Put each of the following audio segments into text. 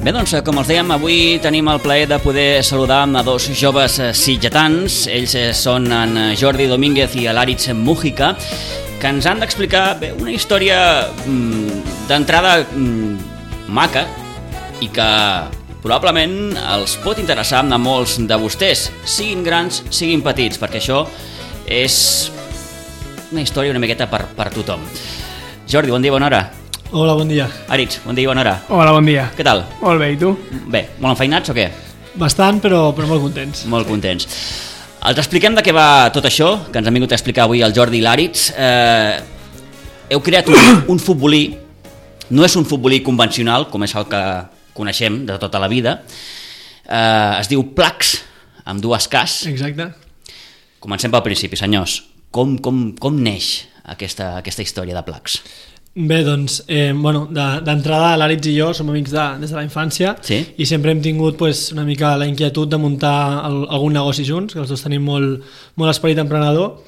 Bé, doncs, com els dèiem, avui tenim el plaer de poder saludar a dos joves sitgetans. Ells són en Jordi Domínguez i l'Àritz Mújica, que ens han d'explicar una història d'entrada maca i que probablement els pot interessar a molts de vostès, siguin grans, siguin petits, perquè això és una història una miqueta per tothom. Jordi, bon dia, bona hora. Hola, bon dia. Àritz, bon dia i bona hora. Hola, bon dia. Què tal? Molt bé, i tu? Bé, molt enfeinats o què? Bastant, però molt contents. Molt contents. Els expliquem de què va tot això, que ens han vingut a explicar avui el Jordi i l'Àritz. Heu creat un futbolí, no és un futbolí convencional, com és el que coneixem de tota la vida. Es diu Plax, amb dues Ks. Exacte. Comencem pel principi, senyors. Com neix aquesta història de Plax? Bé, doncs, d'entrada l'Àritz i jo som amics des de la infància, sí? I sempre hem tingut una mica la inquietud de muntar algun negoci junts, que els dos tenim molt esperit emprenedor,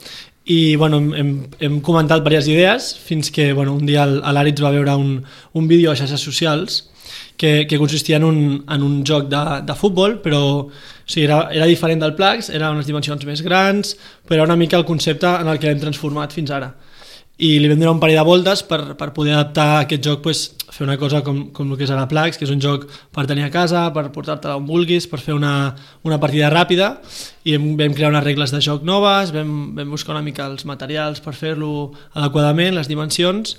i hem comentat diverses idees fins que un dia l'Àritz va veure un vídeo a xarxes socials que consistia en un joc de futbol, però era diferent del Plax, era unes dimensions més grans, però era una mica el concepte en el que l'hem transformat fins ara. I li vam donar un parell de voltes per poder adaptar aquest joc, fer una cosa com el que és ara Plax, que és un joc per tenir a casa, per portar-te on vulguis, per fer una partida ràpida, i vam crear unes regles de joc noves, vam buscar una mica els materials per fer-lo adequadament, les dimensions,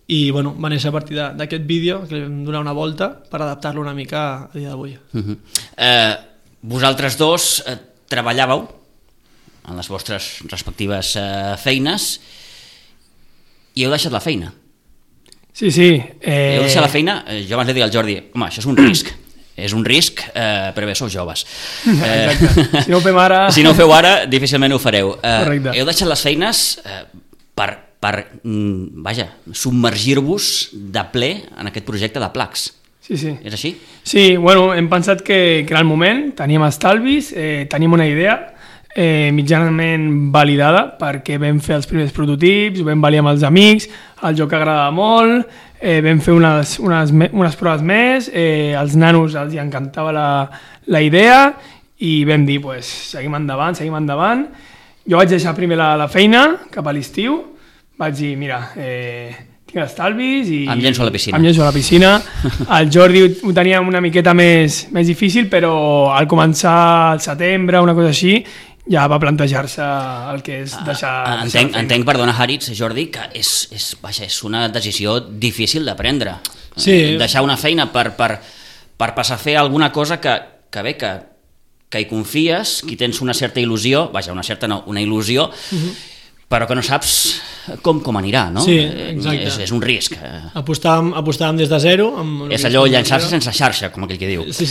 i va néixer a partir d'aquest vídeo, que li vam donar una volta per adaptar-lo una mica a dia d'avui. Vosaltres dos treballàveu en les vostres respectives feines i heu deixat la feina. Sí. Heu deixat la feina, jo abans li dic al Jordi, home, això és un risc. És un risc, però bé, sou joves. Exacte. Si no ho fem ara... Si no ho feu ara, difícilment ho fareu. Correcte. Heu deixat les feines per submergir-vos de ple en aquest projecte de Plax. Sí. És així? Sí, hem pensat que era el moment, teníem estalvis, teníem una idea mitjanament validada, perquè vam fer els primers prototips, ho vam validar amb els amics, el joc agradava molt, vam fer unes proves més, als nanos els encantava la idea i vam dir, seguim endavant. Jo vaig deixar primer la feina cap a l'estiu, vaig dir, mira, tinc estalvis i... Em llenço a la piscina. El Jordi ho tenia una miqueta més difícil, però al començar al setembre, una cosa així, ja va plantejar-se el que és deixar... Entenc, perdona, Àritz, Jordi, que és una decisió difícil de prendre. Sí. Deixar una feina per passar a fer alguna cosa que hi confies, que tens una certa il·lusió, una il·lusió, però que no saps com anirà, no? Sí, exacte. És un risc. Apostàvem des de zero. És allò llançar-se sense xarxa, com aquell que diu. Sí,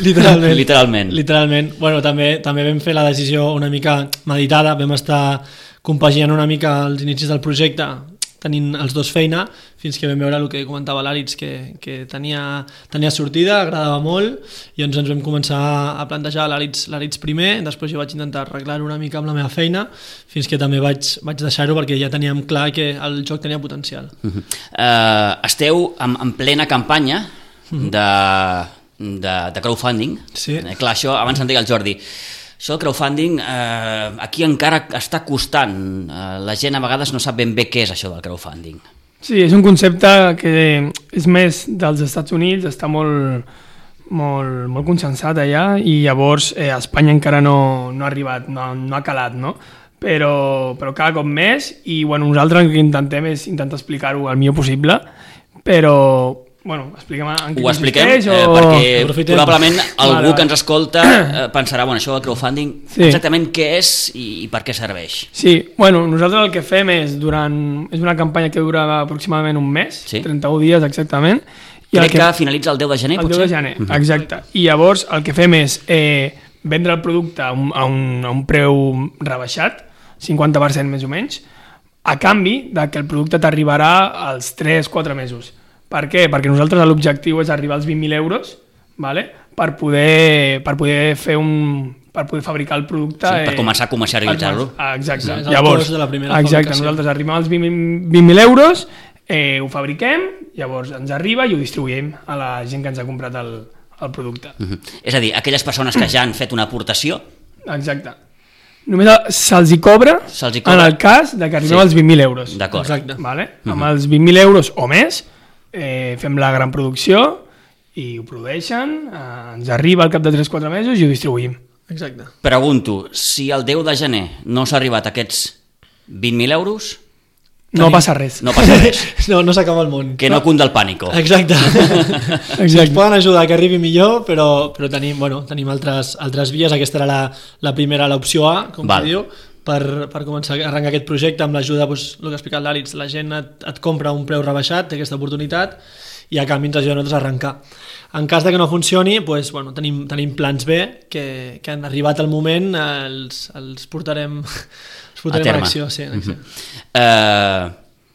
literalment. També vam fer la decisió una mica meditada, vam estar compaginant una mica els inicis del projecte, tenint els dos feina, fins que vam veure el que comentava l'Àritz, que tenia sortida, agradava molt, i ens vam començar a plantejar l'Àritz primer, després jo vaig intentar arreglar-ho una mica amb la meva feina, fins que també vaig deixar-ho perquè ja teníem clar que el joc tenia potencial. Esteu en plena campanya de crowdfunding. Sí. Clar, això abans em deia el Jordi, això del crowdfunding aquí encara està costant. La gent a vegades no sap ben bé què és això del crowdfunding. Sí, és un concepte que és més dels Estats Units, està molt consensat allà, i llavors a Espanya encara no ha arribat, no ha calat, no? Però cada cop més, i nosaltres el que intentem és intentar explicar-ho el millor possible, però... expliquem en què consisteix, perquè probablement algú que ens escolta pensarà, això del crowdfunding, exactament què és i per què serveix. Sí, nosaltres el que fem és una campanya que dura aproximadament un mes, 31 dies exactament. Crec que finalitza el 10 de gener, potser? El 10 de gener, exacte. I llavors el que fem és vendre el producte a un preu rebaixat, 50% més o menys, a canvi que el producte t'arribarà als 3-4 mesos. Per què? Perquè nosaltres l'objectiu és arribar als 20.000 euros, per poder fabricar el producte. Sí, per començar a comercialitzar-lo. Exacte. Llavors, nosaltres arribem als 20.000 euros, ho fabriquem, llavors ens arriba i ho distribuïm a la gent que ens ha comprat el producte. És a dir, aquelles persones que ja han fet una aportació... Exacte. Només se'ls hi cobra en el cas de que arribem als 20.000 euros. D'acord. Exacte. Vale? Amb els 20.000 euros o més fem la gran producció i ho produeixen, ens arriba al cap de 3-4 mesos i ho distribuïm. Exacte. Pregunto, si el 10 de gener no s'ha arribat a aquests 20.000 euros... No passa res. No passa res. No s'acaba el món. Que no cunda el pànico. Exacte. Ens poden ajudar que arribi millor, però tenim altres vies. Aquesta era la primera, l'opció A, com es diu, per començar a arrencar aquest projecte amb l'ajuda, el que ha explicat l'Àlex, la gent et compra un preu rebaixat d'aquesta oportunitat i a canvi ens ajuda a nosaltres a arrencar. En cas de que no funcioni, tenim plans B que han arribat al moment, els portarem a l'acció. Sí,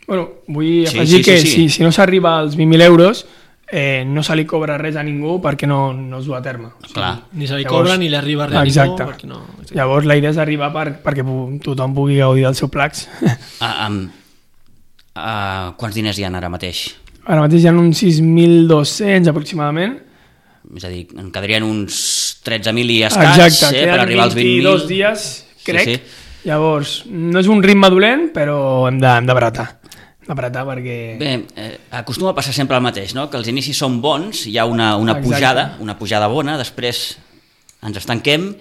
vull afegir que si no s'arriba als 20.000 euros no se li cobra res a ningú perquè no es du a terme. Ni se li cobra ni li arriba res a ningú. Exacte. Llavors la idea és arribar perquè tothom pugui gaudir del seu Plax. Quants diners hi ha ara mateix? Ara mateix hi ha uns 6.200 aproximadament. És a dir, en quedarien uns 13.000 i escaig per arribar als 20.000. 22 dies, crec. Sí. Llavors, no és un ritme dolent, però hem d'abratar. Perquè... Bé, acostuma a passar sempre el mateix, no? Que els inicis són bons, hi ha una pujada bona, després ens estanquem.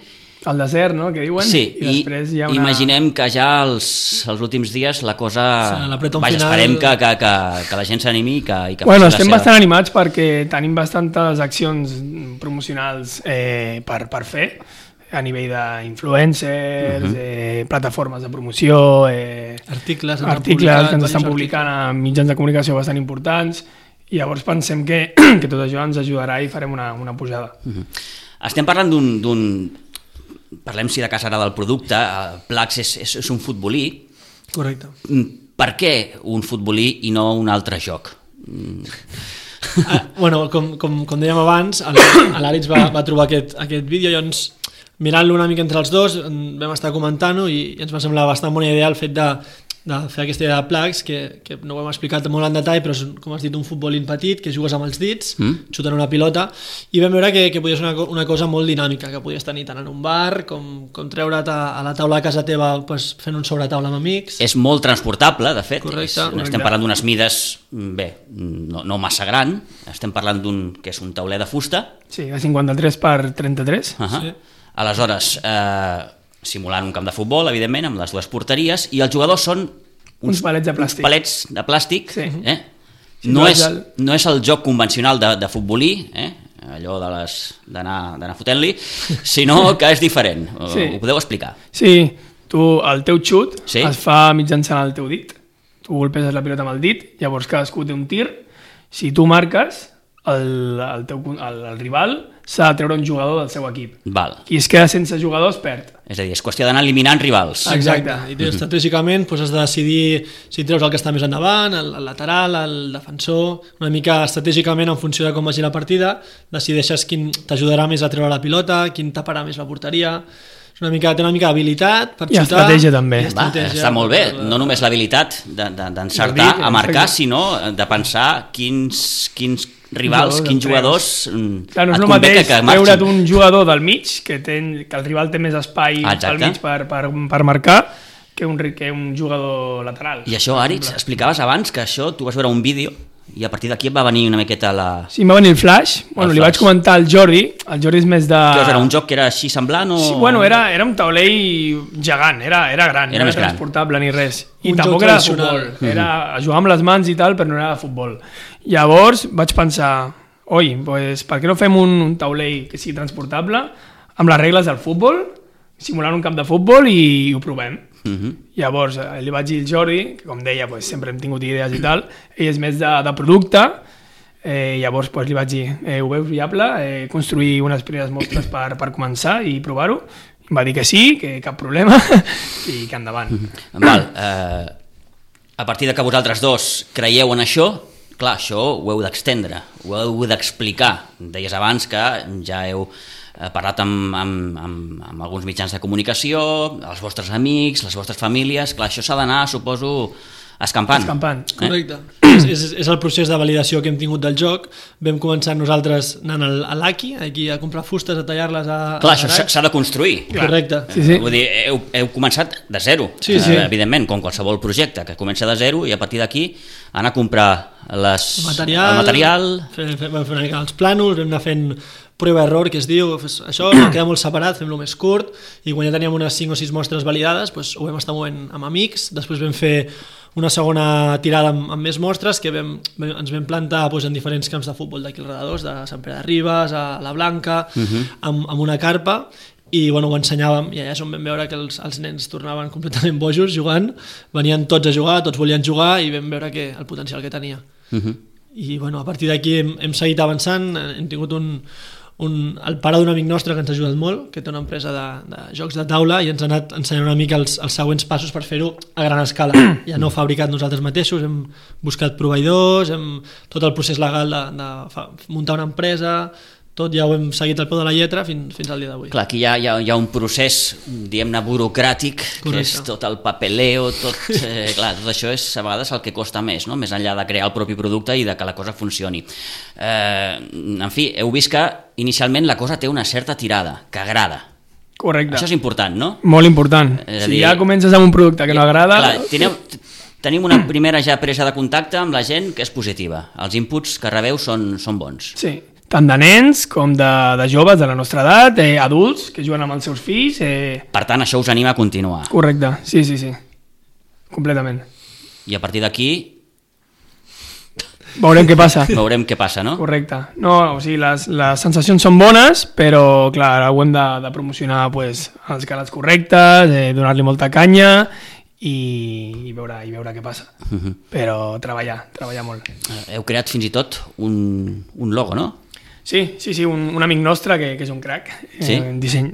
El desert, no?, que diuen. Sí, i després hi ha imaginem que ja els últims dies la cosa... esperem que la gent s'animi i que estem bastant animats perquè tenim bastantes accions promocionals per fer, a nivell d'influencers, plataformes de promoció, articles que ens estan publicant a mitjans de comunicació bastant importants, i llavors pensem que tot això ens ajudarà i farem una pujada. Estem parlant parlem si de cas ara del producte. Plax és un futbolí. Correcte. Per què un futbolí i no un altre joc? Com dèiem abans, l'Àlex va trobar aquest vídeo, llavors mirant-lo una mica entre els dos vam estar comentant-ho i ens va semblar bastant bona idea el fet de fer aquesta idea de Plax, que no ho hem explicat molt en detall, però és, com has dit, un futbolín petit que jugues amb els dits, xutant una pilota, i vam veure que podia ser una cosa molt dinàmica, que podies tenir tant en un bar com treure't a la taula de casa teva fent un sobretaula amb amics. És molt transportable, de fet. Correcte. Estem parlant d'unes mides, no massa gran, estem parlant que és un tauler de fusta. Sí, de 53 per 33. Sí. Aleshores, simulant un camp de futbol, evidentment, amb les dues porteries, i els jugadors són uns palets de plàstic. Uns palets de plàstic. Sí. No és el joc convencional de futbolí, allò d'anar fotent-li, sinó que és diferent. Sí. Ho podeu explicar? Sí, el teu xut es fa mitjançant el teu dit. Tu golpeses la pilota amb el dit, llavors cadascú té un tir. Si tu marques, el rival s'ha de treure un jugador del seu equip. Qui es queda sense jugadors perd. És a dir, és qüestió d'anar eliminant rivals. Exacte. I estratègicament has de decidir si treus el que està més endavant, el lateral, el defensor, una mica estratègicament en funció de com vagi la partida, decideixes quin t'ajudarà més a treure la pilota, quin taparà més la porteria. Té una mica d'habilitat per xutar. I estratègia també. Està molt bé, no només l'habilitat d'encertar a marcar, sinó de pensar quins rivals, quins jugadors no és el mateix treure't un jugador del mig, que el rival té més espai al mig per marcar, que un jugador lateral. I això, Àlex, explicaves abans que això tu vas veure un vídeo i a partir d'aquí et va venir una miqueta Sí, em va venir el flash. Li vaig comentar al Jordi. El Jordi és més de... Era un joc que era així semblant o...? Sí, era un taulell gegant, era gran, no era transportable ni res. I tampoc era de futbol. Era jugar amb les mans i tal, però no era de futbol. Llavors vaig pensar, per què no fem un taulell que sigui transportable amb les regles del futbol, simulant un camp de futbol i ho provem. Llavors li vaig dir al Jordi, que com deia sempre hem tingut idees i tal, ell és més de producte, llavors li vaig dir, ho veus viable, construir unes primeres mostres per començar i provar-ho? Em va dir que sí, que cap problema i que endavant. A partir de que vosaltres dos creieu en això, clar, això ho heu d'extendre, ho heu d'explicar. Deies abans que ja heu parlat amb alguns mitjans de comunicació, els vostres amics, les vostres famílies. Clar, això s'ha d'anar, suposo, escampant. Correcte. És el procés de validació que hem tingut del joc. Vam començar nosaltres anant a l'Aki, aquí a comprar fustes, a tallar-les a... Clar, això s'ha de construir. Correcte. Sí. Vull dir, heu començat de zero, sí. Evidentment, com qualsevol projecte, que comença de zero i a partir d'aquí anar a comprar el material... Vam fer una mica els plànols, vam anar fent prova-error, que es diu, això queda molt separat, fem-lo més curt, i quan ja teníem unes 5 o 6 mostres validades, doncs ho vam estar movent amb amics, després vam fer una segona tirada amb més mostres que ens vam plantar en diferents camps de futbol d'aquí alrededor, de Sant Pere de Ribes, a la Blanca, amb una carpa, i ho ensenyàvem, i allà és on vam veure que els nens tornaven completament bojos jugant, venien tots a jugar, tots volien jugar, i vam veure el potencial que tenia. I a partir d'aquí hem seguit avançant, hem tingut el pare d'un amic nostre que ens ha ajudat molt, que té una empresa de jocs de taula, i ens ha anat ensenyant una mica els següents passos per fer-ho a gran escala. Ja no fabricat nosaltres mateixos, hem buscat proveïdors, tot el procés legal de muntar una empresa, tot ja ho hem seguit al peu de la lletra fins al dia d'avui. Clar, aquí hi ha un procés, diguem-ne, burocràtic, que és tot el papeleo, clar, tot això és a vegades el que costa més, no? Més enllà de crear el propi producte i de que la cosa funcioni. En fi, heu vist que inicialment la cosa té una certa tirada, que agrada. Correcte. Això és important, no? Molt important. Si ja comences amb un producte que no agrada... Clar, tenim una primera ja presa de contacte amb la gent que és positiva. Els inputs que rebeu són bons. Sí, tant de nens com de joves de la nostra edat, adults que juguen amb els seus fills... Per tant, això us anima a continuar. Correcte, sí. Completament. I a partir d'aquí... Veurem què passa. Veurem què passa, no? Correcte. No, o sigui, les sensacions són bones, però, clar, ara ho hem de promocionar als canals correctes, donar-li molta canya i veure què passa. Però treballar molt. Heu creat fins i tot un logo, no? Sí, un amic nostre que és un crac. Sí?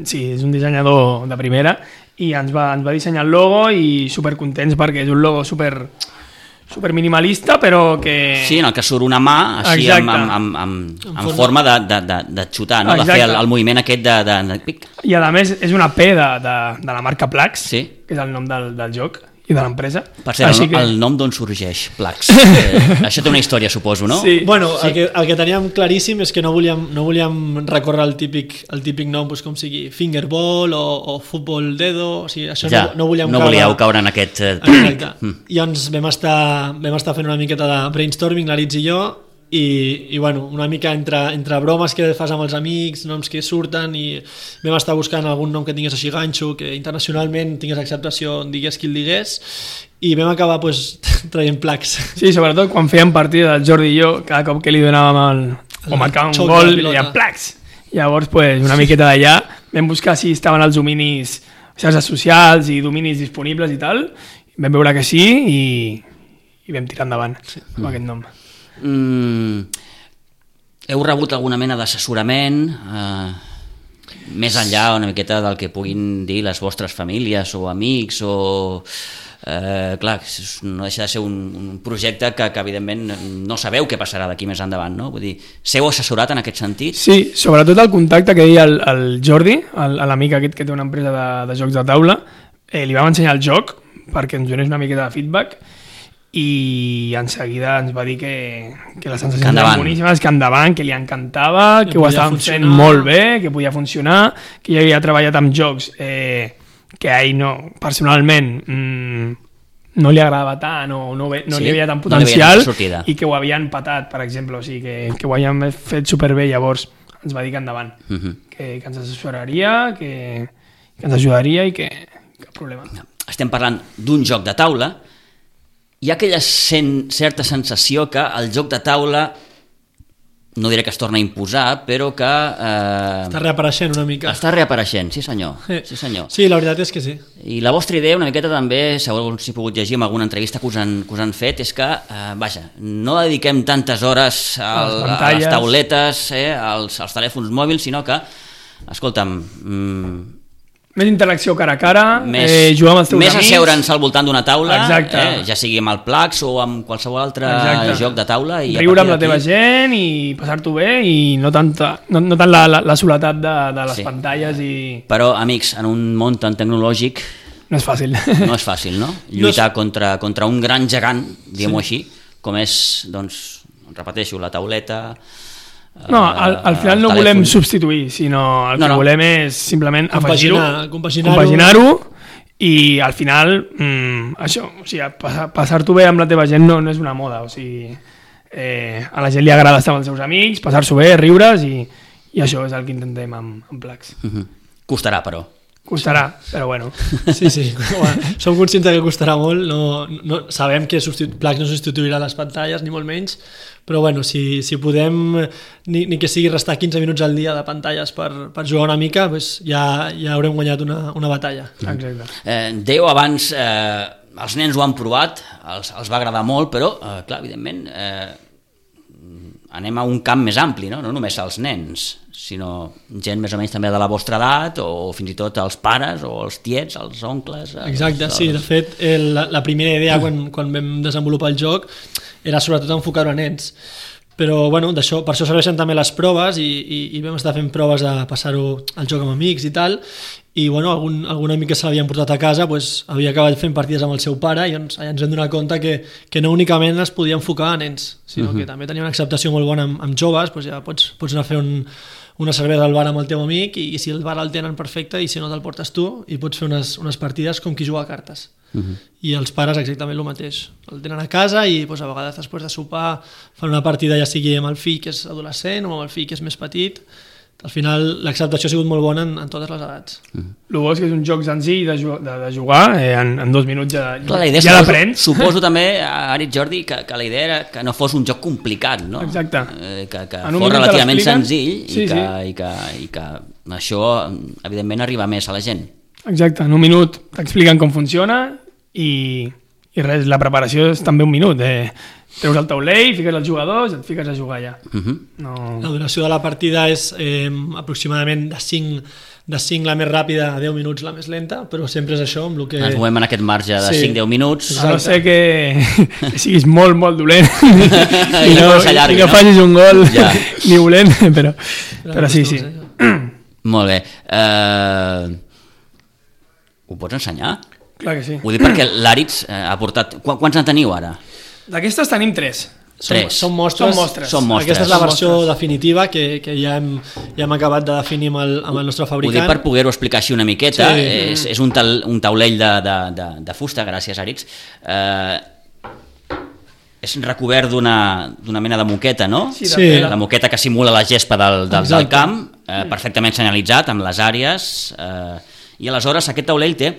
Sí, és un dissenyador de primera i ens va dissenyar el logo i supercontents perquè és un logo super minimalista, però que... Sí, en el que surt una mà així en forma de xutar, no? De fer el moviment aquest de pic. I a més és una P de la marca Plax, sí, que és el nom del joc i de l'empresa. Per cert, el nom d'on sorgeix, Plax? Això té una història, suposo, no? Sí. Bueno, el que teníem claríssim és que no volíem recórrer el típic nom, com sigui Fingerball o Futbol Dedo, o sigui, això ja, no volíem no volíeu caure en aquest... Exacte. I llavors vam estar fent una miqueta de brainstorming, l'Aritz i jo, i una mica entre bromes que fas amb els amics, noms que surten, i vam estar buscant algun nom que tingués així ganxo, que internacionalment tingués acceptació, digués qui el digués, i vam acabar traient Plax. Sí, sobretot quan fèiem partida del Jordi i jo, cada cop que li donàvem o marcàvem un gol, li dèiem Plax. Llavors, una miqueta d'allà, vam buscar si estaven els dominis, xarxes socials i dominis disponibles i tal, vam veure que sí i vam tirar endavant amb aquest nom. Heu rebut alguna mena d'assessorament més enllà una miqueta del que puguin dir les vostres famílies o amics o... clar, no deixa de ser un projecte que evidentment no sabeu què passarà d'aquí més endavant, no? Vull dir, s'heu assessorat en aquest sentit? Sí, sobretot el contacte que deia el Jordi, l'amic aquest que té una empresa de jocs de taula, li vam ensenyar el joc perquè ens donés una miqueta de feedback i en seguida ens va dir que les sensacions eren boníssimes, que endavant, que li encantava, que ho estaven fent molt bé, que podia funcionar, que ja havia treballat amb jocs que a ell personalment no li agradava tant o no li havia tant potencial i que ho havien patat, per exemple, o sigui, que ho havien fet superbé. Llavors ens va dir que endavant, que ens assessoraria, que ens ajudaria i que cap problema. Estem parlant d'un joc de taula. Hi ha aquella certa sensació que el joc de taula, no diré que es torna a imposar, però que... Està reapareixent una mica. Està reapareixent, sí senyor. Sí, senyor. Sí, la veritat és que sí. I la vostra idea una miqueta també, segons si he pogut llegir en alguna entrevista que us han fet, és que, no dediquem tantes hores a les tauletes, als telèfons mòbils, sinó que, escolta'm... Més interacció cara a cara, jugar amb els teus amics... Més asseure'ns al voltant d'una taula, ja sigui amb el Plax o amb qualsevol altre joc de taula. Riure amb la teva gent i passar-t'ho bé i no tant la soledat de les pantalles. Però, amics, en un món tan tecnològic, no és fàcil. No és fàcil, no? Lluitar contra un gran gegant, diguem-ho així, com és, doncs, repeteixo, la tauleta... No, al final no volem substituir, sinó el que volem és simplement afegir-ho, compaginar-ho, i al final això, o sigui, passar-t'ho bé amb la teva gent no és una moda, o sigui, a la gent li agrada estar amb els seus amics, passar-s'ho bé, riure's, i això és el que intentem amb Plax. Costarà, però. Costarà, però bueno. Sí. Som conscients que costarà molt, no, sabem que Plax no substituirà les pantalles, ni molt menys, però bueno, si podem ni que sigui restar 15 minuts al dia de pantalles per jugar una mica, doncs ja haurem guanyat una batalla. Exacte. Dèieu abans, els nens ho han provat, els va agradar molt, però, clar, evidentment, anem a un camp més ampli, no només als nens, sinó gent més o menys també de la vostra edat, o fins i tot els pares, o els tiets, els oncles... Exacte, sí, de fet, la primera idea quan vam desenvolupar el joc era sobretot enfocar-ho a nens, però bueno, per això serveixen també les proves i vam estar fent proves de passar-ho al joc amb amics i tal, i bueno, algun amic que se l'havien portat a casa havia acabat fent partides amb el seu pare i ens vam donar compte que no únicament es podia enfocar a nens, sinó que també tenia una acceptació molt bona amb joves, ja pots anar a fer una cervesa al bar amb el teu amic i si el bar el tenen perfecte i si no te'l portes tu i pots fer unes partides com qui juga a cartes. I els pares exactament el mateix, el tenen a casa i a vegades després de sopar fan una partida ja sigui amb el fill que és adolescent o amb el fill que és més petit. Al final l'acceptació ha sigut molt bona en totes les edats. El bo és que és un joc senzill de jugar, en 2 minuts ja l'aprens. Suposo també, Arit, Jordi, que la idea era que no fos un joc complicat, no? Exacte. Que fos relativament senzill i que això evidentment arriba més a la gent. Exacte, en 1 minut t'expliquen com funciona i res, la preparació és també 1 minut. Treus el taulell, fiques els jugadors i et fiques a jugar ja. La duració de la partida és aproximadament de 5 la més ràpida a 10 minuts la més lenta, però sempre és això amb el que... Ens movem en aquest marge de 5-10 minuts. A no ser que siguis molt, molt dolent i no facis un gol ni volent, però sí. Molt bé. Ho pots ensenyar? Clar que sí. Ho dic perquè l'Àritz ha portat... Quants en teniu ara? D'aquestes tenim 3. Són mostres. Aquesta és la versió definitiva que ja hem acabat de definir amb el nostre fabricant. Ho dic per poder-ho explicar així una miqueta. És un taulell de fusta, gràcies, Àritz. És recobert d'una mena de moqueta, no? Sí. La moqueta que simula la gespa del camp, perfectament senyalitzat amb les àrees, i aleshores aquest taulell té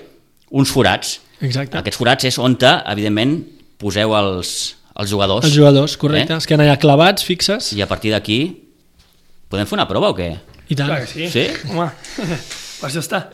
uns forats. Exacte. Aquests forats és on, evidentment, poseu els jugadors. Els jugadors, correcte. Es queden allà clavats, fixes. I a partir d'aquí, podem fer una prova o què? I tant. Clar que sí. Sí? Home, per això està.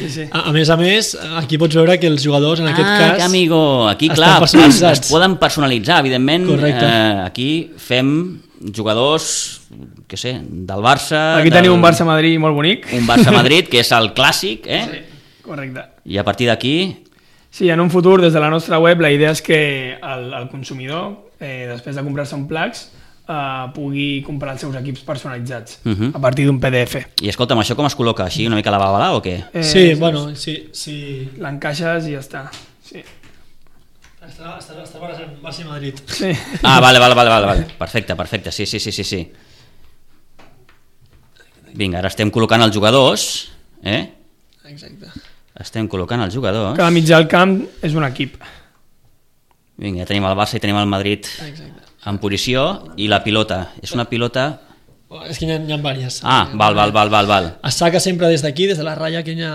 Sí. A més, aquí pots veure que els jugadors, en aquest cas... Que amigo, aquí, clar, es poden personalitzar, evidentment. Correcte. Aquí fem jugadors, què sé, del Barça... Aquí tenim un Barça-Madrid molt bonic. Un Barça-Madrid, que és el clàssic, Sí, correcte. I a partir d'aquí... Sí, en un futur, des de la nostra web, la idea és que el consumidor, després de comprar-se un Plax, pugui comprar els seus equips personalitzats a partir d'un PDF. I escolta'm, això com es col·loca? Així una mica a la babalà o què? Sí, bueno, sí. L'encaixes i ja està. Sí. Estàs barrejant Barça i Madrid. Sí. Vale. Perfecte. Sí. Vinga, ara estem col·locant els jugadors. Exacte. Estem col·locant els jugadors. Cada mitjà del camp és un equip. Vinga, ja tenim el Barça i tenim el Madrid en posició i la pilota. És una pilota... És que hi ha diverses. Val. Es saca sempre des d'aquí, des de la ratlla que hi ha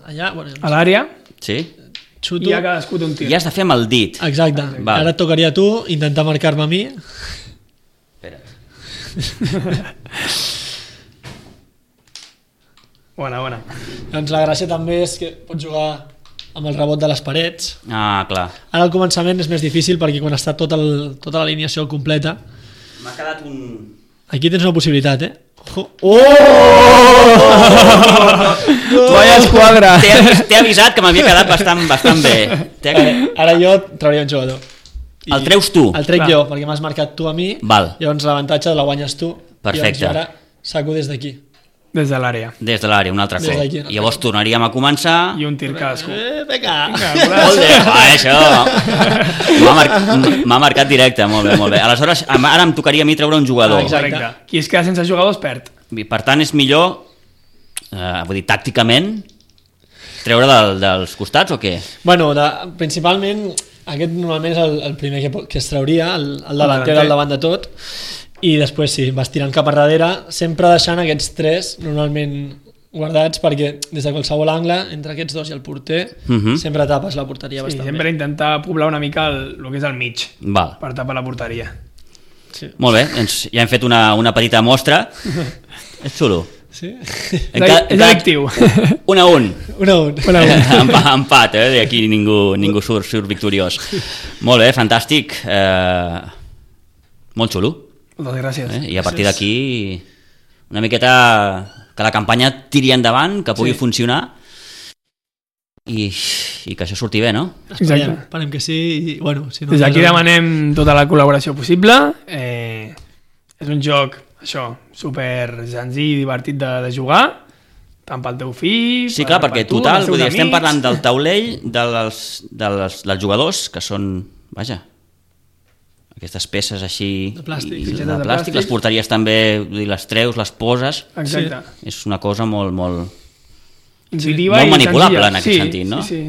allà. A l'àrea. Sí. Xuto. I ja cadascú té un tir. I has de fer amb el dit. Exacte. Ara et tocaria a tu intentar marcar-me a mi. Espera't. Bona. Doncs la gràcia també és que pots jugar amb el rebot de les parets. Clar. Ara al començament és més difícil perquè quan està tota l'alineació completa... M'ha quedat un... Aquí tens una possibilitat, Vaya esquadra! T'he avisat que m'havia quedat bastant bé. Ara jo trauria un jugador. El treus tu? El trec jo, perquè m'has marcat tu a mi. Val. Llavors l'avantatge la guanyes tu. Perfecte. I ara saco des d'aquí. Des de l'àrea. Des de l'àrea, un altre Des cop. d'aquí. I llavors tornaríem a començar... I un tir cadascú. Vinga! Molt bé, això m'ha marcat directe, molt bé, molt bé. Aleshores, ara em tocaria a mi treure un jugador. Correcte. Qui es queda sense jugadors perd. Per tant, és millor, vull dir, tàcticament, treure dels costats o què? Bueno, principalment, aquest normalment és el primer que es trauria, el davanter al davant de tot, i després sí, vas tirant cap a darrere, sempre deixant aquests tres normalment guardats, perquè des de qualsevol angle, entre aquests dos i el porter, sempre tapes la porteria bastant sempre bé. intentar poblar una mica el que és el mig, Val. per tapar la porteria. Sí. Molt bé, ja hem fet una petita mostra. És xulo. Sí? És addictiu. 1-1. 1-1. Empat, aquí ningú surt victoriós. Molt bé, fantàstic. Molt xulo. Moltes gràcies. I a partir d'aquí una miqueta que la campanya tiri endavant, que pugui funcionar i que això surti bé, no? Esperem que sí. I, bueno, si no, des d'aquí demanem tota la col·laboració possible. És un joc, això, super senzill i divertit de jugar, tant pel teu fill... Sí, clar, perquè total, vull dir, estem parlant del taulell, dels jugadors, que són, vaja, aquestes peces així de plàstic, de plàstic, les porteries també, les treus, les poses. Exacte. És una cosa molt intuitiva molt i manipulable senzilla. en aquest sentit, no? Sí,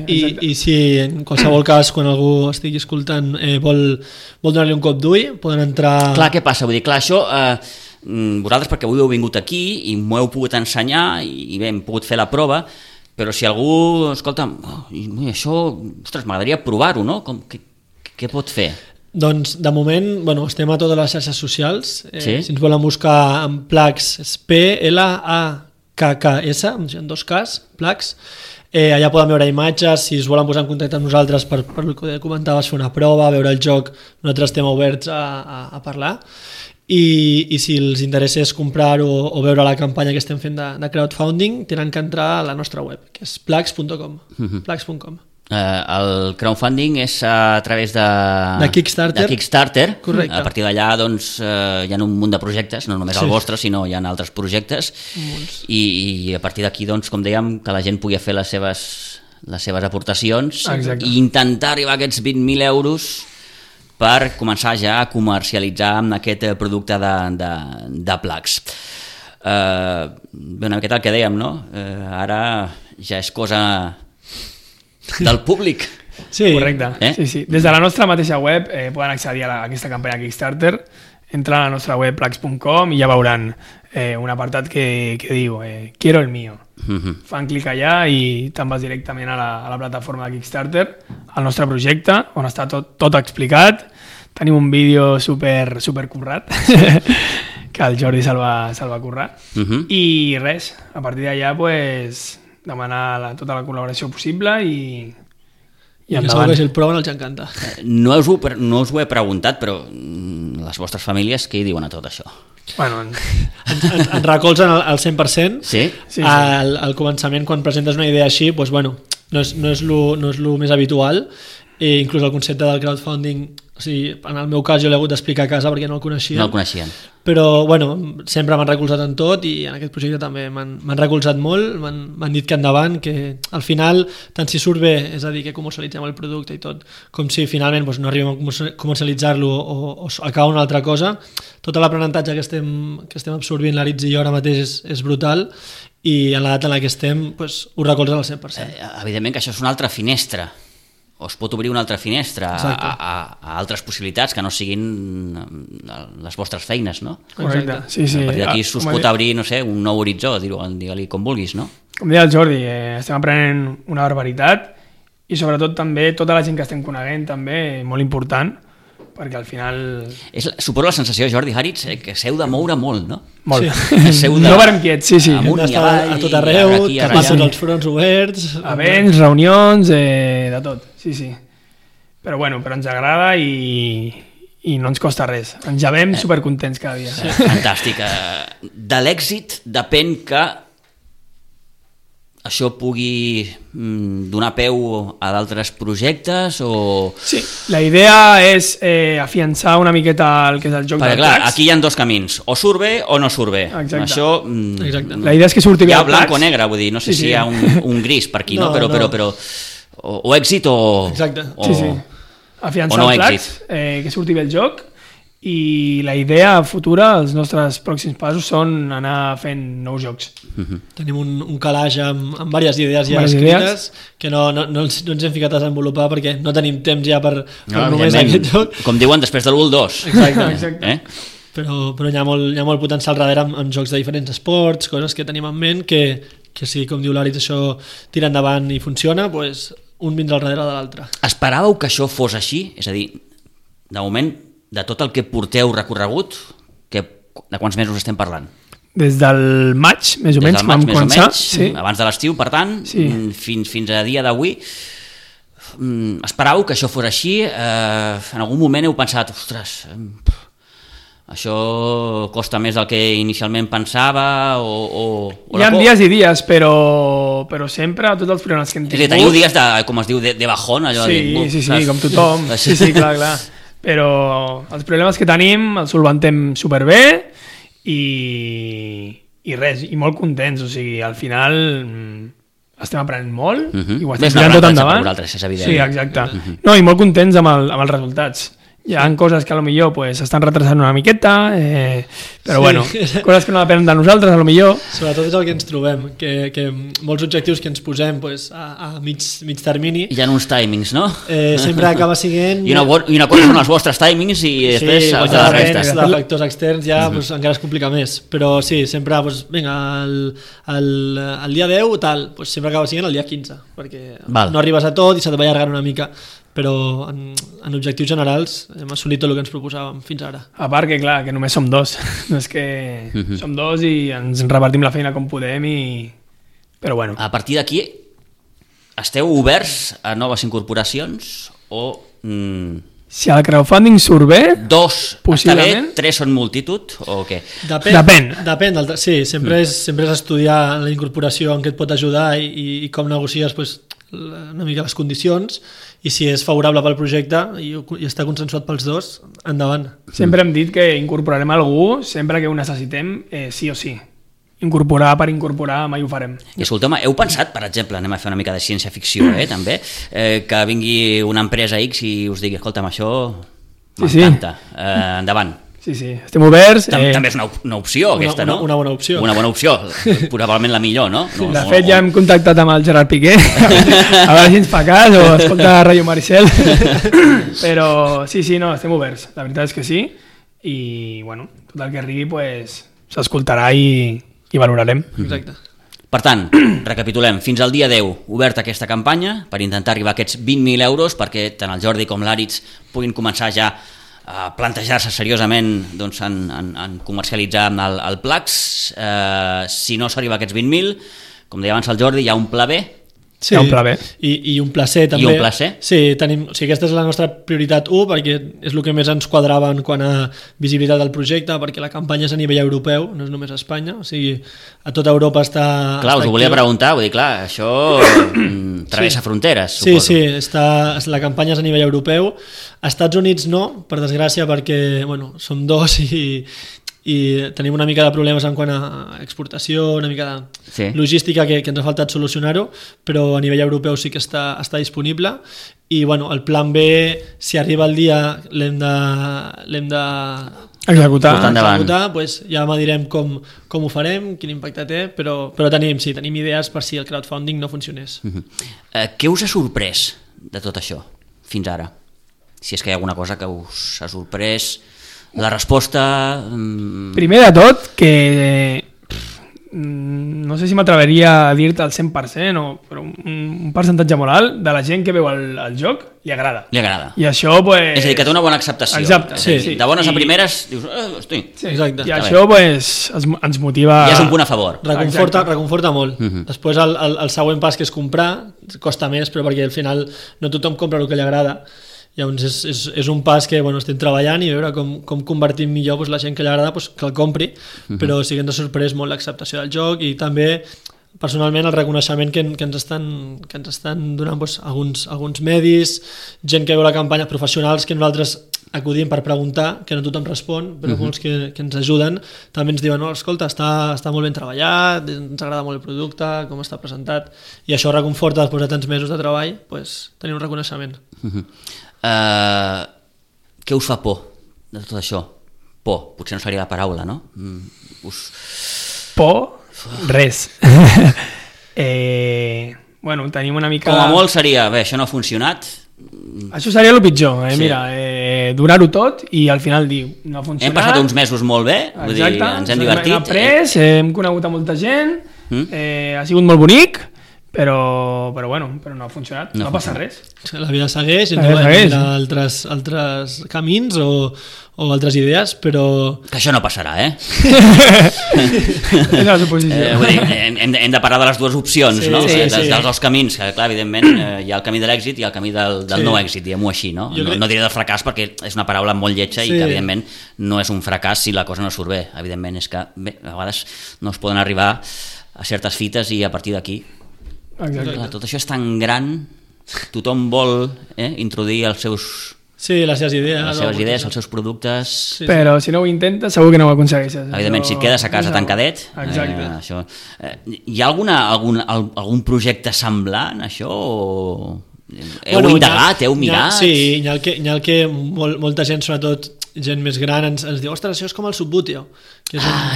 I si en qualsevol cas, quan algú estigui escoltant, vol donar-li un cop d'ull, poden entrar... Clar, què passa? Vull dir, clar, això... vosaltres perquè avui heu vingut aquí i m'ho heu pogut ensenyar i bé, hem pogut fer la prova, però si algú, escolta, això, ostres, m'agradaria provar-ho, no? Què pot fer? Doncs, de moment, bueno, estem a totes les xarxes socials. Sí? Si ens volen buscar en Plax, és P-L-A-K-K-S, en 2 Ks, Plax. Allà poden veure imatges, si es volen posar en contacte amb nosaltres per el que comentaves, fer una prova, veure el joc, nosaltres estem oberts a parlar. I si els interessés comprar o veure la campanya que estem fent de crowdfunding, tenen que entrar a la nostra web, que és plax.com. Plax.com. El crowdfunding és a través de Kickstarter. Correcte. A partir d'allà doncs, hi ha un munt de projectes, no només el vostre, sinó hi ha altres projectes, i a partir d'aquí, doncs, com dèiem, que la gent pugui fer les seves aportacions. Exacte. I intentar arribar a aquests 20.000 euros per començar ja a comercialitzar amb aquest producte de Plax. Una miqueta el que dèiem, no? Ara ja és cosa del públic. Sí. Correcte. Sí. Des de la nostra mateixa web poden accedir a aquesta campanya Kickstarter, entren a la nostra web plax.com i ja veuran un apartat que diu quiero el mío. Fan clic allà i te'n vas directament a la plataforma de Kickstarter, al nostre projecte, on està tot explicat. Tenim un vídeo super currat que el Jordi se'l va currar. I res, a partir d'allà pues, demanar tota la col·laboració possible i endavant. Que si el proven els encanta. No us ho he preguntat, però les vostres famílies què hi diuen a tot això? Bueno, ens recolzen al 100%. Sí? Al començament, quan presentes una idea així, doncs, bueno, no és lo més habitual. Inclús el concepte del crowdfunding, o sigui, en el meu cas jo l'he hagut d'explicar a casa perquè no el coneixien. No el coneixien. Però bueno, sempre m'han recolzat en tot i en aquest projecte també m'han recolzat molt, m'han dit que endavant, que al final, tant si surt bé, és a dir, que comercialitzem el producte i tot, com si finalment no arribem a comercialitzar-lo o acabar una altra cosa, tot l'aprenentatge que estem absorbint l'Aritz i jo ara mateix és brutal i en l'edat en la que estem ho recolzen al 100%. Evidentment que això és una altra finestra, o es pot obrir una altra finestra a altres possibilitats que no siguin les vostres feines, no? Correcte, sí. A partir d'aquí us pot obrir, no sé, un nou horitzó, digue-li com vulguis, no? Com deia el Jordi, estem aprenent una barbaritat i sobretot també tota la gent que estem coneguent també, molt important, perquè al final... Suposo la sensació, Jordi Haritz, que s'heu de moure molt, no? Molt. No varem quiets, sí. Amunt i avall, a tot arreu, tapar tots els fronts oberts... Events, reunions, de tot, sí. Però ens agrada i no ens costa res. Ens llevem supercontents cada dia. Fantàstic. De l'èxit depèn que això pugui donar peu a d'altres projectes o... Sí, la idea és afiançar una miqueta el que és el joc perquè, del clar, Plax. aquí hi ha dos camins, o surt bé o no surt bé. Exacte. Això, Exacte. La idea és que surti bé hi ha el blanc o Plax. negre, vull dir, no sé si hi ha un gris per aquí, no? No, Però o èxit o... Exacte. Sí. Afiançar o no el Plax, èxit. que surti bé el joc, i la idea futura, els nostres pròxims passos són anar fent nous jocs. Tenim un calaix amb diverses idees ja Diverses escrites que no ens hem ficat a desenvolupar perquè no tenim temps ja per només evidentment, aquest joc. com diuen, després de l'1 al 2. Exacte. Però hi ha molt potencial darrere amb jocs de diferents esports, coses que tenim en ment que si, com diu l'Àritz, això tira endavant i funciona, doncs un vindrà al darrere de l'altre. Esperàveu que això fos així? És a dir, de moment, de tot el que porteu recorregut, de quants mesos estem parlant? Des del maig, més o menys, vam començar. Sí. Abans de l'estiu, per tant, Sí. fins a dia d'avui. Esperàveu que això fos així? En algun moment heu pensat, ostres, això costa més del que inicialment pensava o Hi ha dies i dies, però sempre tots els problemes que hem És a dir, tingut... teniu dies de, com es diu, de bajón, allò de dir, Sí, saps? com tothom. Sí, clar. Però els problemes que tenim els solventem superbé i res, i molt contents, o sigui, al final estem aprenent molt i ho estem tirant tot endavant. Per vosaltres, és evident. Sí, exacte. No, i molt contents amb els resultats. Hi ha coses que potser pues, estan retrasant una miqueta, però Sí. bueno, coses que no depenen de nosaltres, potser. Sobretot és el que ens trobem, que molts objectius que ens posem pues, a mig termini Hi ha uns timings, no? sempre acaba sent... I una cosa són els vostres timings i després sí, els de de la la resta. de factors externs ja pues, encara es complica més, però sí, sempre pues, vinga, el dia 10 tal, pues, sempre acaba sent el dia 15 perquè Val. no arribes a tot i se te va allargant una mica, però en objectius generals hem assolit tot el que ens proposàvem fins ara. A part que, clar, que només som dos. No és que som dos i ens repartim la feina com podem però bueno. A partir d'aquí, esteu oberts a noves incorporacions o Si el crowdfunding surt bé, dos està bé, Possiblement. 3 són multitud o què? Depèn sí, sempre és estudiar la incorporació en què et pot ajudar i com negocies pues, una mica les condicions i si és favorable pel projecte i està consensuat pels dos, endavant. sempre hem dit que incorporarem algú sempre que ho necessitem, sí o sí. Incorporar per incorporar mai ho farem. I escolteu-me, heu pensat, per exemple, anem a fer una mica de ciència-ficció, també, que vingui una empresa X i us digui, escolta'm, això m'encanta, endavant. Sí, estem oberts. També és una opció, aquesta, no? Una bona opció. Una bona opció, probablement la millor, no? De fet, ja hem contactat amb el Gerard Piqué, a veure si ens fa cas o escolta Rayo Maricel. Però sí, no, estem oberts. La veritat és que sí. I, bueno, tot el que arribi pues, s'escoltarà i valorarem. Exacte. Per tant, recapitulem, fins al dia 10 oberta aquesta campanya per intentar arribar a aquests 20.000 euros perquè tant el Jordi com l'Àritz puguin començar ja a plantejar-se seriosament doncs, en comercialitzar el Plax. Si no s'arriba a aquests 20.000, com deia abans el Jordi, hi ha un pla B. Sí, Hi ha un pla B. I un pla C també. I un pla C. Sí, aquesta és la nostra prioritat 1 perquè és el que més ens quadrava en quant a visibilitat del projecte, perquè la campanya és a nivell europeu, no és només a Espanya, o sigui, a tota Europa està... Clar, us ho volia preguntar, vull dir, clar, això travessa fronteres, suposo. Sí, la campanya és a nivell europeu. A Estats Units no, per desgràcia, perquè bueno, som dos i tenim una mica de problemes en quant a exportació, una mica de logística que ens ha faltat solucionar-ho, però a nivell europeu sí que està disponible i bueno, el plan B, si arriba el dia l'hem de Executar, pues ja direm com ho farem, quin impacte té, però tenim idees per si el crowdfunding no funcionés. Què us ha sorprès de tot això fins ara? Si és que hi ha alguna cosa que us ha sorprès. La resposta... Primer de tot, que no sé si m'atreveria a dir-te al 100%, però un percentatge moral de la gent que veu el joc li agrada. Li agrada. I això, pues... És a dir, que té una bona acceptació. Exacte. Sí. De bones a primeres, dius, hosti. Sí. Exacte. I això, pues, ens motiva... Ja és un punt a favor. Reconforta molt. Després el següent pas que és comprar costa més, però perquè al final no tothom compra el que li agrada. Llavors és un pas que estem treballant i veure com convertim millor la gent que li agrada que el compri, però sí que ens ha sorprès molt l'acceptació del joc i també personalment el reconeixement que ens estan donant doncs, alguns medis, gent que veu la campanya, professionals que nosaltres acudim per preguntar, que no tothom respon, però molts que ens ajuden també ens diuen, no, escolta, està molt ben treballat, ens agrada molt el producte, com està presentat, i això reconforta després de tants mesos de treball, doncs, tenir un reconeixement. Què us fa por de tot això? Por, potser no seria la paraula, no? Por? Res. Bueno, tenim una mica... Com a molt seria, bé, això no ha funcionat. Això seria el pitjor, mira, durar-ho tot i al final dir, no ha funcionat. Hem passat uns mesos molt bé, vull dir, ens hem divertit. Hem après, hem conegut a molta gent, ha sigut molt bonic, però no ha funcionat, no passa res. La vida segueix, i hi ha altres camins o altres idees, però... Que això no passarà, És la suposició. Vull dir, hem de parlar de les dues opcions, no? Dels dos camins, que clar, evidentment hi ha el camí de l'èxit i el camí del no èxit, diguem-ho així, no? No diré del fracàs perquè és una paraula molt lletja i que evidentment no és un fracàs si la cosa no surt bé. Evidentment és que bé, a vegades no es poden arribar a certes fites i a partir d'aquí tot això és tan gran, tothom vol introduir els seus... Sí, les seves idees, els seus productes... Però si no ho intentes segur que no ho aconsegueixes. Evidentment, si et quedes a casa tancadet... Això... Hi ha algun projecte semblant, això? Heu indagat, heu mirat? Sí, hi ha el que molta gent, sobretot gent més gran, ens diu, ostres, això és com el Subbuteo.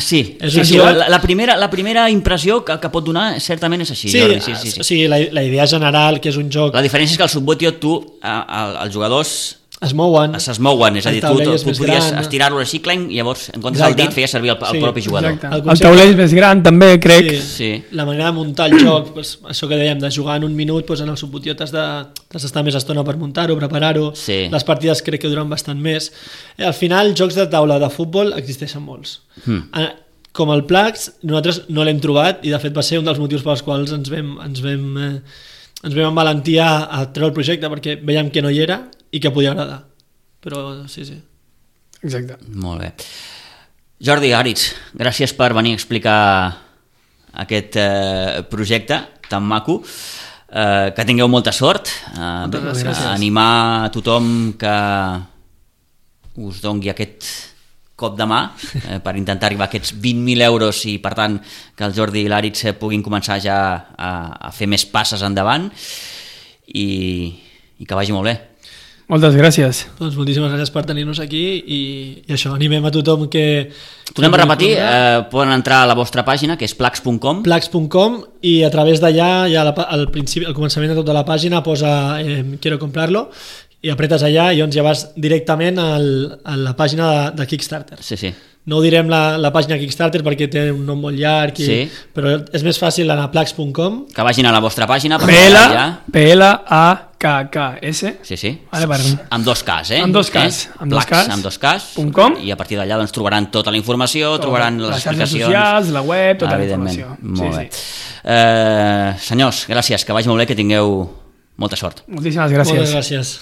Sí. La primera impressió que pot donar certament és així, Jordi. Sí. O sigui, la idea general, que és un joc... La diferència és que el Subbuteo, els jugadors... Es mouen, és a dir, tu podries estirar-lo així, clenc, i llavors en comptes del dit feia servir el propi jugador. El taulell és més gran també, crec. Sí. La manera de muntar el joc, això que dèiem, de jugar en un minut, en el Subbuteo t'has d'estar més estona per muntar-ho, preparar-ho, les partides crec que duren bastant més. Al final, jocs de taula de futbol existeixen molts. Com el Plax, nosaltres no l'hem trobat i de fet va ser un dels motius pels quals ens vam amb valentia a treure el projecte, perquè veiem que no hi era i que podia agradar, però sí. Exacte. Molt bé. Jordi, Àritz, gràcies per venir a explicar aquest projecte tan maco, que tingueu molta sort, animar a tothom que us doni aquest cop de mà per intentar arribar a aquests 20.000 euros i per tant que el Jordi i l'Àritz puguin començar ja a fer més passes endavant i que vagi molt bé. Moltes gràcies. Doncs moltíssimes gràcies per tenir-nos aquí i això, animem a tothom que... Tornem a repetir, poden entrar a la vostra pàgina, que és plax.com. Plax.com, i a través d'allà, ja al començament de tota la pàgina posa quiero comprarlo, i apretes allà i llavors ja vas directament a la pàgina de Kickstarter. Sí. No ho direm la pàgina Kickstarter perquè té un nom molt llarg, però és més fàcil anar a plax.com. Que vagin a la vostra pàgina. P-L-A-K-K-S. Sí. Vale, amb dos Ks, Amb dos Ks. Amb dos Ks. I a partir d'allà trobaran tota la informació, trobaran les explicacions. Les xarxes socials, la web, tota la informació. Molt bé. Senyors, gràcies, que vagi molt bé, que tingueu molta sort. Moltíssimes gràcies. Moltes gràcies.